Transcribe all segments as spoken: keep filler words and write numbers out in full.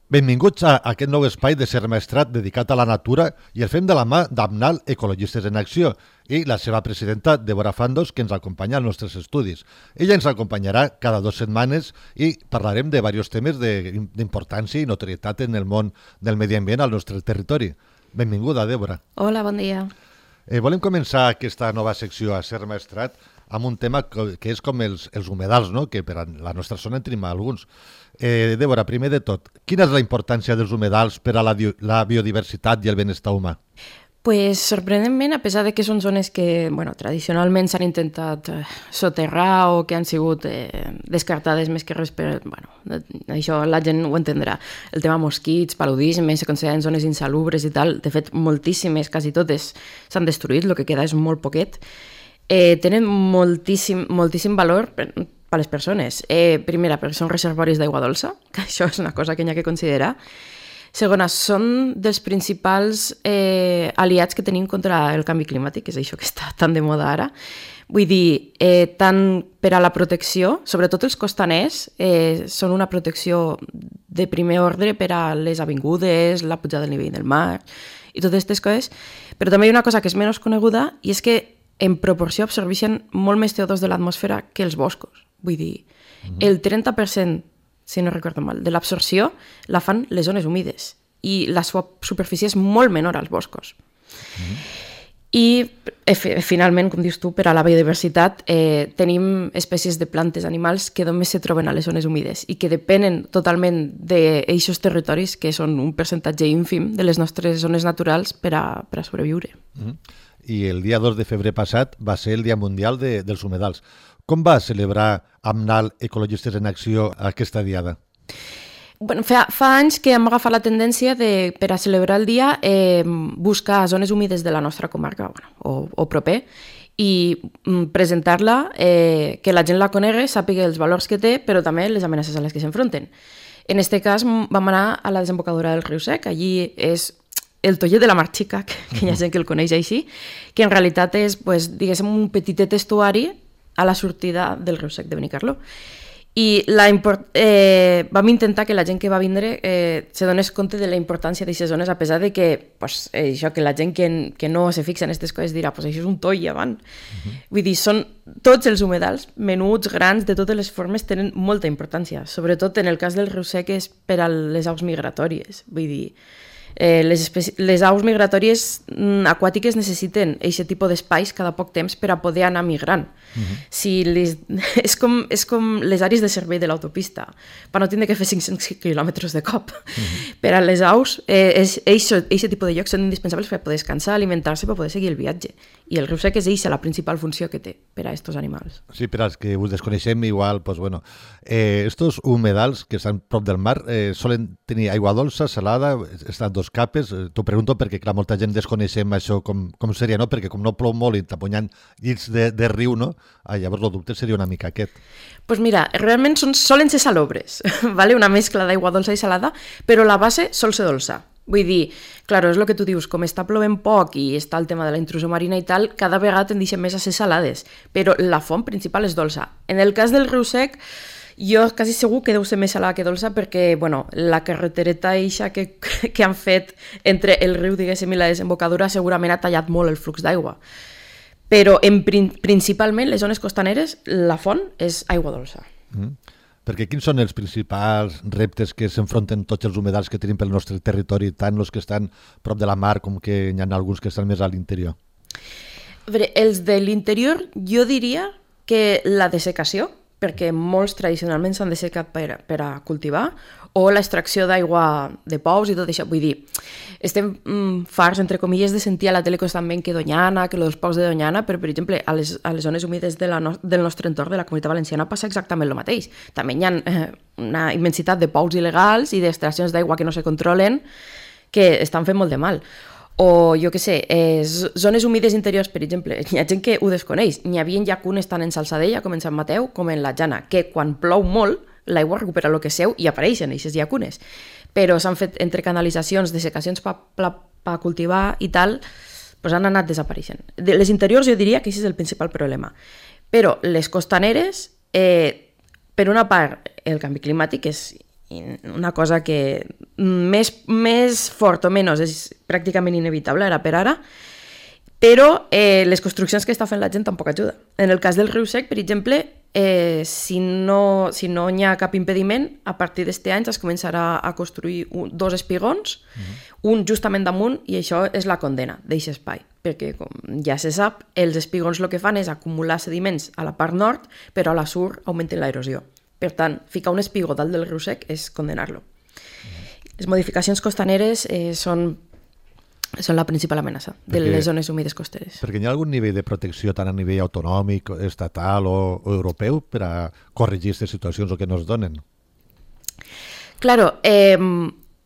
Benvinguts a aquest nou espai de Ser Maestrat dedicat a la natura i el fem de la mà d'Amnal Ecologistes en Acció i la seva presidenta, Débora Fandos, que ens acompanya als nostres estudis. Ella ens acompanyarà cada dues setmanes i parlarem de diversos temes d'importància i notorietat en el món del medi ambient al nostre territori. Benvinguda, Débora. Hola, bon dia. Eh, volem començar aquesta nova secció a Ser Maestrat amb un tema que és com els, els humedals, no? Que per a la nostra zona en tenim alguns. Eh, Débora, primer de tot, quina és la importància dels humedals per a la, la biodiversitat i el benestar humà? Pues, sorprenentment, a pesar de que són zones que bueno, tradicionalment s'han intentat eh, soterrar o que han sigut eh, descartades més que res per... Bueno, això la gent ho entendrà. El tema mosquits, paludisme, se consideren zones insalubres i tal. De fet, moltíssimes, quasi totes, s'han destruït, el que queda és molt poquet. Eh, tenen moltíssim, moltíssim valor per, per les persones. Eh, primera, perquè són reservoris d'aigua dolça, que això és una cosa que hi ha que considerar. Segona, són dels principals eh, aliats que tenim contra el canvi climàtic, que és això que està tan de moda ara. Vull dir, eh, tant per a la protecció, sobretot els costaners, eh, són una protecció de primer ordre per a les avingudes, la pujada del nivell del mar i totes aquestes coses, però també hi ha una cosa que és menys coneguda i és que en proporció absorbeixen molt més C O dos de l'atmosfera que els boscos. Vull dir, uh-huh. el trenta per cent, si no recordo mal, de l'absorció la fan les zones humides i la seva superfície és molt menor als boscos. Uh-huh. I eh, finalment, com dius tu, per a la biodiversitat eh, tenim espècies de plantes, animals que només se troben a les zones humides i que depenen totalment d'eixos territoris que són un percentatge ínfim de les nostres zones naturals per a, per a sobreviure. Uh-huh. I el dia dos de febrer passat va ser el Dia Mundial de, dels Humedals. Com va celebrar Amnal Ecologistes en Acció aquesta diada? Bueno, fa, fa anys que hem agafat la tendència de, per a celebrar el dia, eh, buscar zones humides de la nostra comarca bueno, o, o proper i mm, presentar-la, eh, que la gent la conegui, sàpiga els valors que té, però també les amenaces a les que s'enfronten. En aquest cas vam anar a la desembocadura del riu Sec, allí és el Tollet de la Mar Xica, que, que hi ha gent que el coneix així, que en realitat és, pues, diguéssim, un petitet estuari a la sortida del riu Sec de Benicarló. I la import... eh, vam intentar que la gent que va vindre eh, se donés compte de la importància d'aquestes zones, a pesar de que, pues, eh, això, que la gent que, que no se fixa en aquestes coses dirà pues, això és un toll avant. Uh-huh. Vull dir, són tots els humedals, menuts, grans, de totes les formes, tenen molta importància. Sobretot en el cas del riu Sec és per a les aus migratòries. Vull dir, Eh, les, especi... les aus migratòries mm, aquàtiques necessiten aquest tipus d'espais cada poc temps per a poder anar migrant. Uh-huh. Si les... és, com, és com les àrees de servei de l'autopista, per no tindre que fer cinc-cents quilòmetres de cop. Uh-huh. Per a les aus, aquest eh, tipus de llocs són indispensables per poder descansar, alimentar-se, per poder seguir el viatge. I el riu Sec és eixa la principal funció que té per a aquests animals. Sí, per als que us desconeixem, igual, pues, bueno, eh, estos humedals que estan prop del mar eh, solen tenir aigua dolça, salada, estan dos capes. T'ho pregunto perquè, clar, molta gent desconeixem això com, com seria, no? Perquè com no plou molt i t'aponyant llits de, de riu, no? Ah, llavors el dubte seria una mica aquest. Doncs pues mira, realment són, solen ser salobres, ¿vale? Una mescla d'aigua dolça i salada, però la base sol ser dolça. Vull dir, claro, és el que tu dius, com està plovent poc i està el tema de la intrusió marina i tal, cada vegada tendeixen més a ser salades, però la font principal és dolça. En el cas del riu Sec, jo quasi segur que deu ser més salada que dolça perquè, bueno, la carretereta eixa que, que han fet entre el riu, diguéssim, i la desembocadura segurament ha tallat molt el flux d'aigua. Però en, principalment, les zones costaneres, la font és aigua dolça. Mm. Perquè quins són els principals reptes que s'enfronten tots els humedals que tenim pel nostre territori, tant els que estan prop de la mar com que hi ha alguns que estan més a l'interior? A veure, els de l'interior jo diria que la dessecació, perquè molts tradicionalment s'han dessecat per, per a cultivar, o l'extracció d'aigua de pous i tot això. Vull dir, estem mm, farts, entre comilles, de sentir a la tele constantment que Doñana, que els pous de Doñana, però, per exemple, a les, a les zones humides de la no, del nostre entorn, de la Comunitat Valenciana, passa exactament el mateix. També hi ha eh, una immensitat de pous il·legals i d'extraccions d'aigua que no se controlen que estan fent molt de mal. O, jo què sé, eh, zones humides interiors, per exemple, hi ha gent que ho desconeix. N'hi havia llacunes tant en Salsadella com en Sant Mateu com en la Jana, que quan plou molt, l'aigua recupera el que seu i apareixen aquestes llacunes. Però s'han fet entre canalitzacions, dessecacions per pa, pa cultivar i tal, doncs han anat desapareixent. De les interiors jo diria que aquest és el principal problema. Però les costaneres, eh, per una part, el canvi climàtic és una cosa que més, més fort o menys és pràcticament inevitable, ara per ara, però eh, les construccions que està fent la gent tampoc ajuda. En el cas del riu Sec, per exemple, eh, si no si no hi ha cap impediment, a partir d'aquest any es començarà a construir un, dos espigons, uh-huh. un justament damunt, i això és la condena d'aquest espai, perquè, com ja se sap, els espigons el que fan és acumular sediments a la part nord, però a la sur augmenten l'erosió. Per tant, ficar un espigó dalt del riu Sec és condenar-lo. Uh-huh. Les modificacions costaneres eh, són són la principal amenaça de perquè, les zones humides costeres. Perquè hi ha algun nivell de protecció tant a nivell autonòmic, estatal o, o europeu per a corregir aquestes situacions o que no es donen? Claro, eh,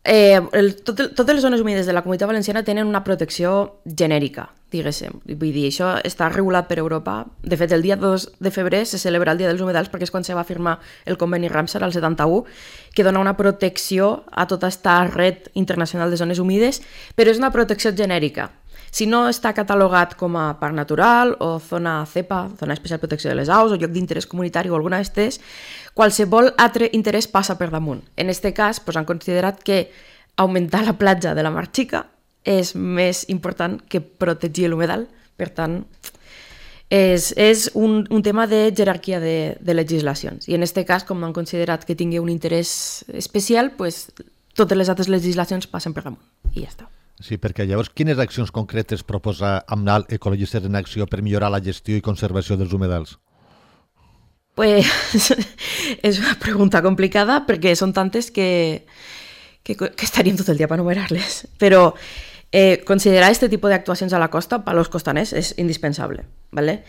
eh, el, tot, totes les zones humides de la Comunitat Valenciana tenen una protecció genèrica, diguéssim. Vull dir, això està regulat per Europa. De fet, el dia dos de febrer se celebra el Dia dels Humedals perquè és quan se va firmar el conveni Ramsar al setanta-u, que dona una protecció a tota aquesta red internacional de zones humides, però és una protecció genèrica. Si no està catalogat com a parc natural o zona CEPA, zona especial protecció de les aus, o lloc d'interès comunitari o alguna d'estes, qualsevol altre interès passa per damunt. En aquest cas, doncs, han considerat que augmentar la platja de la Mar Xica és més important que protegir l'humedal. Per tant, és, és un, un tema de jerarquia de, de legislacions. I en aquest cas, com han considerat que tingui un interès especial, doncs, totes les altres legislacions passen per damunt. I ja està. Sí, perquè llavors quines accions concretes proposa AMNAL Ecologistes en Acció per millorar la gestió i conservació dels humedals? Pues és una pregunta complicada perquè són tantes que, que, que estaríem tot el dia per enumerar-les. Però eh, considerar aquest tipus d'actuacions a la costa per als costaners és indispensable. ¿Vale?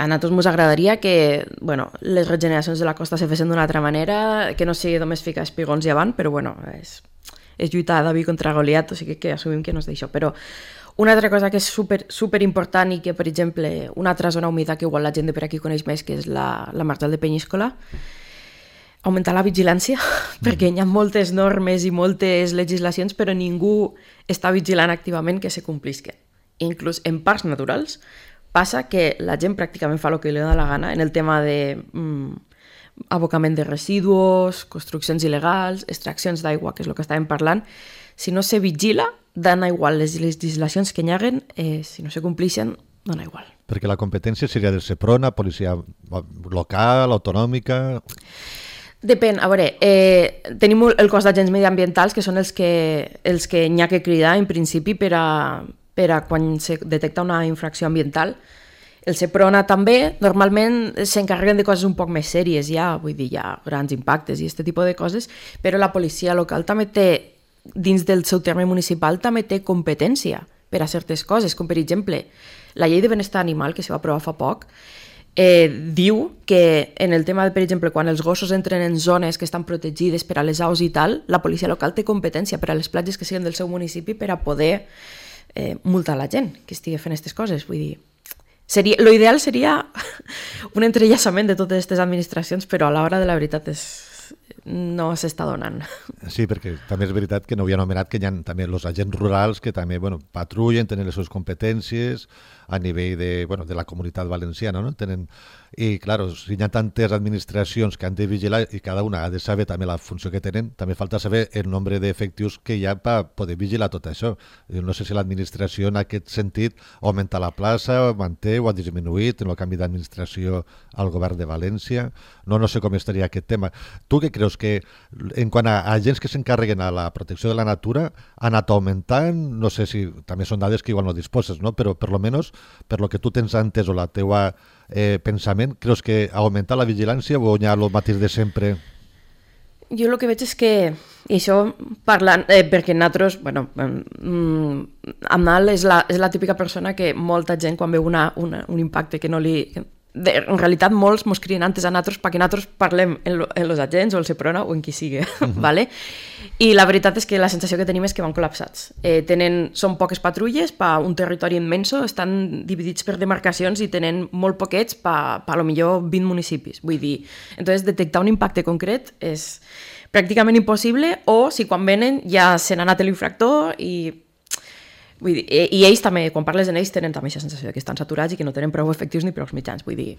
A nosaltres ens agradaria que bueno, les regeneracions de la costa se fessin d'una altra manera, que no sigui només ficar espigons i avant, però bueno, és... és lluitar David contra Goliat, o sigui que assumim que no és d'això. Però una altra cosa que és super, super important i que, per exemple, una altra zona humida que igual la gent de per aquí coneix més, que és la, la Marjal de Penyíscola, augmentar la vigilància, mm. perquè hi ha moltes normes i moltes legislacions, però ningú està vigilant activament que se complisquen. Inclús en parcs naturals passa que la gent pràcticament fa el que li dona la gana en el tema de... Mm, abocament de residus, construccions il·legals, extraccions d'aigua, que és el que estàvem parlant. Si no se vigila, dona igual. Les legislacions que hi haguen, eh, si no se complixen, dona igual. Perquè la competència seria del Seprona, policia local, autonòmica... Depèn. A veure, eh, tenim el cos d'agents mediambientals, que són els que, els que hi ha que cridar, en principi, per a, per a quan se detecta una infracció ambiental. El Seprona també, normalment s'encarreguen de coses un poc més sèries ja, vull dir, ja grans impactes i aquest tipus de coses, però la policia local també té, dins del seu terme municipal, també té competència per a certes coses, com per exemple, la llei de benestar animal, que se va aprovar fa poc, eh, diu que en el tema, de, per exemple, quan els gossos entren en zones que estan protegides per a les aus i tal, la policia local té competència per a les platges que siguin del seu municipi per a poder eh, multar la gent que estigui fent aquestes coses, vull dir... Seria, lo ideal seria un entrellaçament de totes aquestes administracions, però a l'hora de la veritat és, no s'està donant. Sí, perquè també és veritat que no havia anomenat que hi ha també els agents rurals que també bueno, patrullen, tenen les seves competències a nivell de, bueno, de la comunitat valenciana, no? Tenen... I, clar, si hi ha tantes administracions que han de vigilar i cada una ha de saber també la funció que tenen, també falta saber el nombre d'efectius que hi ha per poder vigilar tot això. No sé si l'administració en aquest sentit augmenta la plaça, manté o ha disminuït en el canvi d'administració al govern de València. No, no sé com estaria aquest tema. Tu què creus que, en quant a agents que s'encarreguen a la protecció de la natura, ha anat augmentant? No sé si també són dades que igual no disposes, no? Però per lo menos, per lo que tu tens entès o la teua eh, pensament, creus que ha augmentat la vigilància o hi ha el mateix de sempre? Jo el que veig és que, i això parlant, eh, perquè nosaltres, bueno, mm, AMNAL és la, és la típica persona que molta gent quan veu una, una, un impacte que no li... De, en realitat molts mos crien antes a nosaltres perquè nosaltres parlem en, lo, en los agents o el Seprona o en qui sigui, uh-huh. ¿Vale? I la veritat és que la sensació que tenim és que van col·lapsats. Eh, tenen, són poques patrulles per un territori immenso, estan dividits per demarcacions i tenen molt poquets per, per a lo millor vint municipis. Vull dir, entonces detectar un impacte concret és pràcticament impossible, o si quan venen ja se n'ha anat l'infractor i... Vull dir, i ells també, quan parles en ells, tenen també aquesta sensació que estan saturats i que no tenen prou efectius ni prou mitjans, vull dir.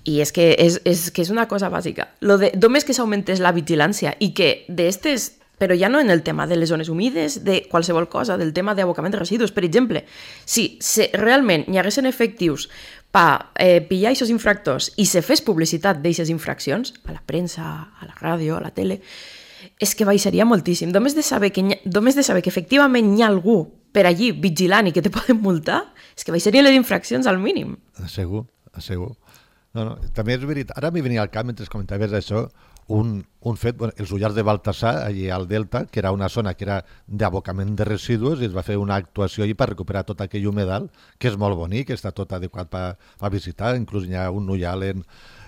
I és que és, és, que és una cosa bàsica. Lo de, només que s'augmentés la vigilància i que d'aquestes però ja no en el tema de les zones humides, de qualsevol cosa, del tema d'abocament de residus. Per exemple, si, si realment hi haguessin efectius per eh, pillar aquests infractors i se fes publicitat d'aquestes infraccions, a la premsa, a la ràdio, a la tele, és que baixaria moltíssim. Només de saber que, ha, només de saber que efectivament hi ha algú per allí vigilant i que te poden multar, és que baixarien les infraccions al mínim. Segur, segur. No, no, també és veritat. Ara m'hi venia al cap, mentre comentaves això, un, un fet, bueno, els Ullars de Baltasar, allí al Delta, que era una zona que era d'abocament de residus, i es va fer una actuació allí per recuperar tot aquell humedal, que és molt bonic, que està tot adequat per visitar, inclús hi ha un ullal en,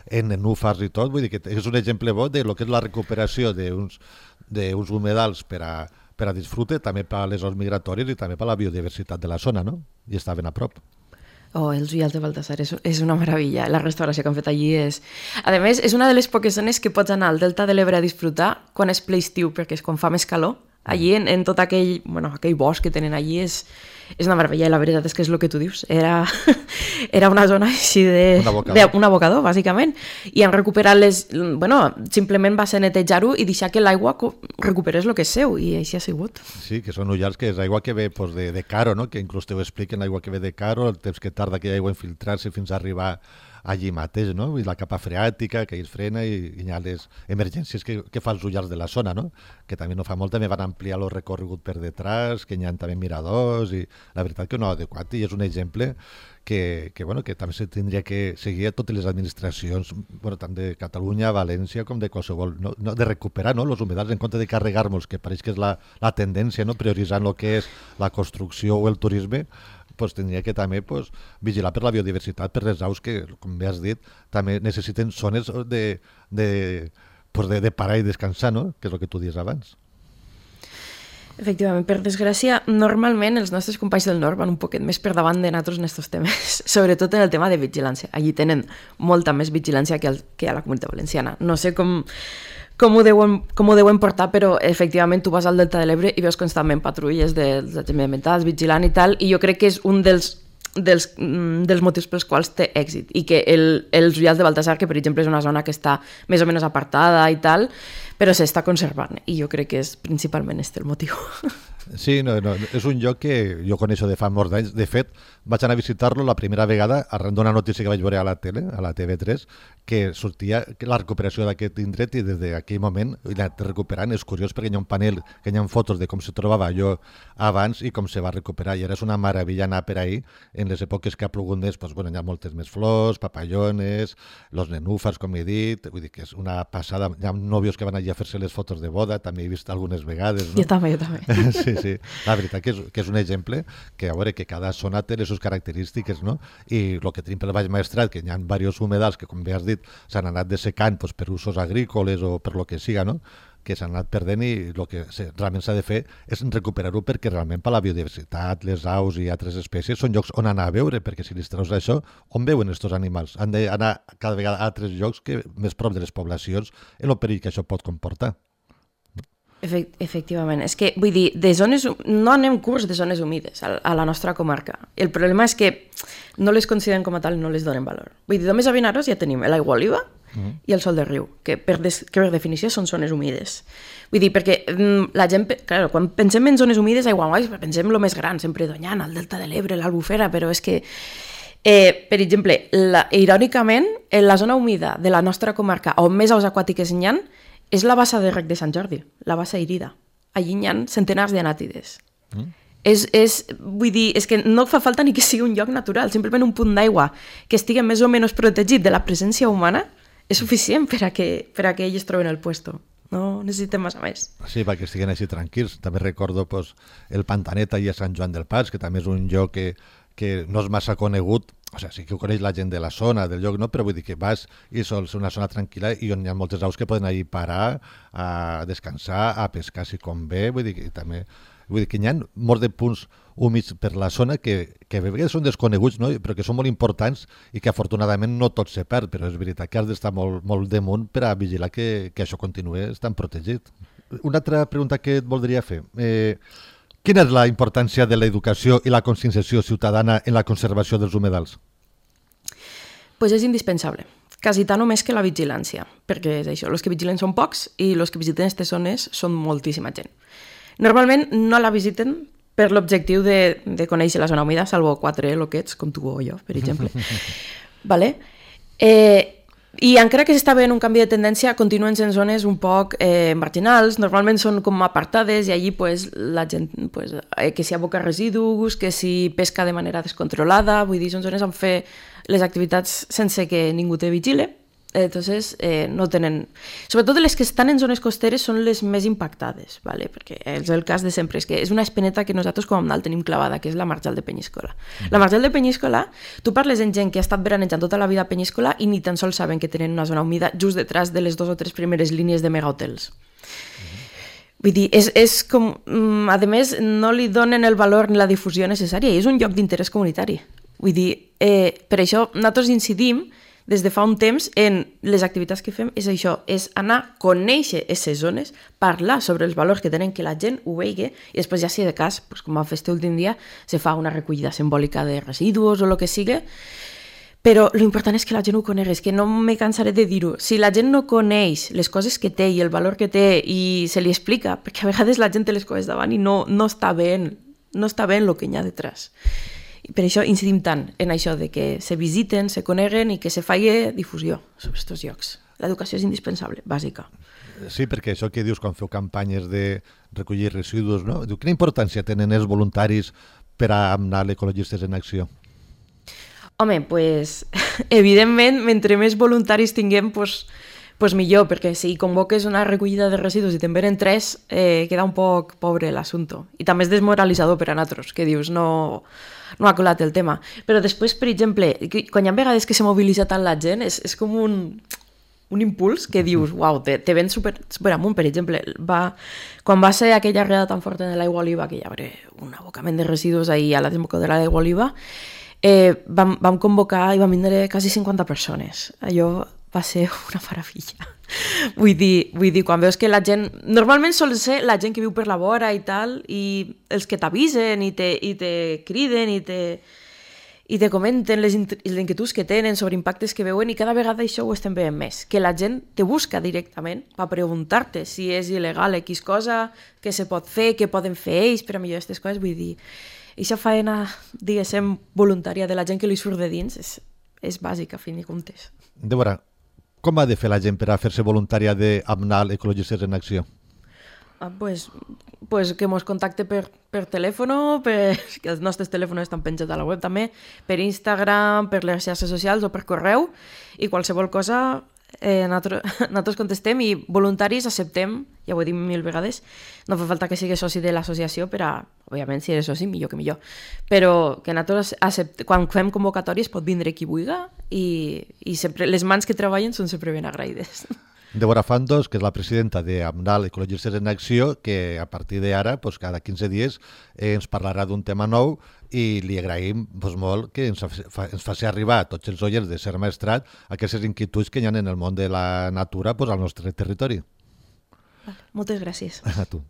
en nenúfars i tot, vull dir que és un exemple bo de lo que és la recuperació d'uns d'uns humedals per a, per a disfrute, també per a les zones migratòries i també per a la biodiversitat de la zona, no? I estaven a prop. Oh, els Ullals de Baltasar és, és una meravella. La restauració que han fet allí és... A més, és una de les poques zones que pots anar al Delta de l'Ebre a disfrutar quan és ple estiu, perquè és quan fa més calor. Allí, en, en tot aquell, bueno, aquell bosc que tenen allí, és, és una meravella. I la veritat és que és el que tu dius. Era, era una zona així de... Un abocador. De, un abocador, bàsicament. I han recuperat les... Bueno, simplement va ser netejar-ho i deixar que l'aigua recuperés el que és seu, i així ha sigut. Sí, que són ullals que és aigua que ve pues, de, de Caro, no? Que inclús te ho expliquen, l'aigua que ve de Caro, el temps que tarda aquella aigua a infiltrar-se fins a arribar allí mateix, no? I la capa freàtica que es frena i, i hi ha les emergències que, que fa els ullals de la zona, no? Que també no fa molt, també van ampliar el recorregut per detrás, que hi ha també miradors, i la veritat que no ha adequat, i és un exemple que, que, bueno, que també se tindria que seguir a totes les administracions, bueno, tant de Catalunya, València, com de qualsevol, no, no, de recuperar, no?, els humedals en compte de carregar-nos, que pareix que és la, la tendència, no?, prioritzant el que és la construcció o el turisme, pues, tindria que també pues, vigilar per la biodiversitat, per les aus que, com bé has dit, també necessiten zones de, de, pues, de, de parar i descansar, no?, que és el que tu dius abans. Efectivament, per desgràcia, normalment els nostres companys del nord van un poquet més per davant de nosaltres en aquests temes, sobretot en el tema de vigilància. Allí tenen molta més vigilància que, el, que a la Comunitat Valenciana. No sé com, com, ho deuen, com ho deuen portar, però efectivament tu vas al Delta de l'Ebre i veus constantment patrulles dels agents ambientals vigilant i tal, i jo crec que és un dels dels, dels motius pels quals té èxit, i que el, els Ullals de Baltasar, que per exemple és una zona que està més o menys apartada i tal, però s'està conservant, i jo crec que és principalment este el motiu. Sí, no, no, és un lloc que jo coneixo de fa molts anys. De fet, vaig anar a visitar-lo la primera vegada arran d'una notícia que vaig veure a la tele, a la T V tres, que sortia la recuperació d'aquest indret, i des d'aquell moment l'ha anat recuperant. És curiós perquè hi ha un panel que hi ha fotos de com se trobava allò abans i com se va recuperar, i ara és una meravella anar per ahí. En les èpoques que ha plogut més, doncs, bueno, hi ha moltes més flors, papallones, los nenúfars, com he dit, vull dir que és una passada. Hi ha nòvios que van allà a fer-se les fotos de boda, també he vist algunes vegades, no? Jo també, jo també. Sí, sí, la veritat que és, que és un exemple que, a veure, que cada zona té les seves característiques, no? I el que tenim pel Baix Maestrat, que hi ha diversos humedals que, com bé has dit, s'han anat dessecant doncs, per usos agrícoles o per lo que siga, no?, que s'han anat perdent, i el que realment s'ha de fer és recuperar-ho, perquè realment per la biodiversitat, les aus i altres espècies són llocs on anar a veure, perquè si li treus això, on veuen aquests animals? Han d'anar cada vegada a altres llocs que més prop de les poblacions, en el perill que això pot comportar. Efectivament, és que vull dir, de zones, no anem curs de zones humides a, a la nostra comarca. El problema és que no les consideren com a tal i no les donen valor. Vull dir, només a Vinaròs ja tenim l'aigua oliva mm. i el sol de riu, que per, des, que per definició són zones humides. Vull dir, perquè la gent, clar, quan pensem en zones humides, aigua guais, pensem el més gran, sempre Doñana, el Delta de l'Ebre, l'Albufera, però és que, eh, per exemple, la, irònicament, en la zona humida de la nostra comarca, on més aus aquàtiques hi ha, és la bassa de rec de Sant Jordi, la bassa Irida. Allí hi ha centenars d'anàtides. Mm. És, és, vull dir, és que no fa falta ni que sigui un lloc natural, simplement un punt d'aigua que estigui més o menys protegit de la presència humana és suficient per a que, per a que ells troben el puesto. No necessitem massa més. Sí, perquè estiguen així tranquils. També recordo pues, el Pantanet allà a Sant Joan del Pas, que també és un lloc que, que no és massa conegut. O sigui, sí que ho coneix la gent de la zona, del lloc, no? Però vull dir que vas i sols una zona tranquil·la i on hi ha moltes aus que poden anar a parar, a descansar, a pescar si convé. Vull dir que també vull dir que hi ha molts de punts humits per la zona que, que a vegades són desconeguts, no? Però que són molt importants i que afortunadament no tot se perd, però és veritat que has d'estar molt, molt damunt per a vigilar que, que això continuï estant protegit. Una altra pregunta que et voldria fer. Eh, Quina és la importància de l'educació i la conscienciació ciutadana en la conservació dels humedals? Pues és indispensable. quasi tant o més que la vigilància, perquè és això, els que vigilen són pocs i els que visiten aquestes zones són moltíssima gent. Normalment no la visiten per l'objectiu de, de conèixer la zona humida, salvo quatre loquets, com tu o jo, per exemple. Vale? Eh, I encara que s'està veient un canvi de tendència, continuen sent zones un poc eh, marginals, normalment són com apartades i allí pues, la gent, pues, eh, que s'hi aboca residus, que s'hi pesca de manera descontrolada, vull dir, són zones on fer les activitats sense que ningú te vigile. Entonces, eh, no tenen... Sobretot les que estan en zones costeres són les més impactades, ¿vale? Perquè és el cas de sempre, és que és una espineta que nosaltres com a Amnal tenim clavada, que és la Marjal de Penyíscola. Mm. La Marjal de Penyíscola, tu parles amb gent que ha estat veranejant tota la vida a Penyíscola i ni tan sols saben que tenen una zona humida just detrás de les dos o tres primeres línies de megahotels. Mm. Vull dir, és, és com... A més, no li donen el valor ni la difusió necessària, i és un lloc d'interès comunitari. Vull dir, eh, per això nosaltres incidim des de fa un temps en les activitats que fem és això, és anar a conèixer aquestes zones, parlar sobre els valors que tenen, que la gent ho vegi, i després ja si de cas, pues, com a fet últim dia, se fa una recollida simbòlica de residus o el que sigui, però l'important és que la gent ho conegui, és que no me cansaré de dir-ho. Si la gent no coneix les coses que té i el valor que té i se li explica, perquè a vegades la gent té les coses davant i no, no està ben, no està ben el que hi ha detrás. I per això incidim tant en això de que se visiten, se coneguen i que se faci difusió sobre aquests llocs. L'educació és indispensable, bàsica. Sí, perquè això que dius quan feu campanyes de recollir residus, no? Diu, quina importància tenen els voluntaris per a anar ecologistes en acció? Home, pues, evidentment, mentre més voluntaris tinguem, pues, pues millor, perquè si convoques una recollida de residus i te'n venen tres, eh, queda un poc pobre l'assumpte. I també és desmoralitzador per a nosaltres, que dius, no... no ha colat el tema. Però després, per exemple, quan hi ha vegades que se mobilitza tant la gent, és, és com un, un impuls que dius, uau, te, te ven super, super amunt. Per exemple, va, quan va ser aquella arreada tan forta de l'aigua oliva, que hi haurà un abocament de residus ahir a la desembocadura de l'aigua oliva, eh, vam, vam convocar i vam vindre quasi cinquanta persones. Allò va ser una meravella. Vull dir, vull dir, quan veus que la gent... Normalment sol ser la gent que viu per la vora i tal, i els que t'avisen i te, i te criden i te, i te comenten les, les inquietuds que tenen sobre impactes que veuen, i cada vegada això ho estem veient més, que la gent te busca directament per preguntar-te si és il·legal X cosa, què se pot fer, què poden fer ells per a millorar aquestes coses. Vull dir, aquesta faena, diguéssim, voluntària de la gent que li surt de dins és, és bàsica, a fin de comptes. Débora, com ha de fer la gent per a fer-se voluntària d'Amnal Ecologistes en Acció? Ah, pues, pues que mos contacte per, per telèfon, per, que els nostres telèfons estan penjats a la web també, per Instagram, per les xarxes socials o per correu, i qualsevol cosa eh, nosaltres, nosaltres contestem, i voluntaris acceptem, ja ho he dit mil vegades, no fa falta que siguis soci de l'associació per a, òbviament, si eres soci, millor que millor, però que nosaltres acceptem, quan fem convocatòries pot vindre qui vulgui, i, i sempre, les mans que treballen són sempre ben agraïdes. Débora Fandos, que és la presidenta d'Amnal Ecologistes en Acció, que a partir d'ara, pues, cada quinze dies, eh, ens parlarà d'un tema nou, i li agraïm pues, molt que ens, fa, ens faci arribar a tots els oients de Ser Maestrat aquestes inquietuds que hi ha en el món de la natura pues, al nostre territori. Moltes gràcies. A tu.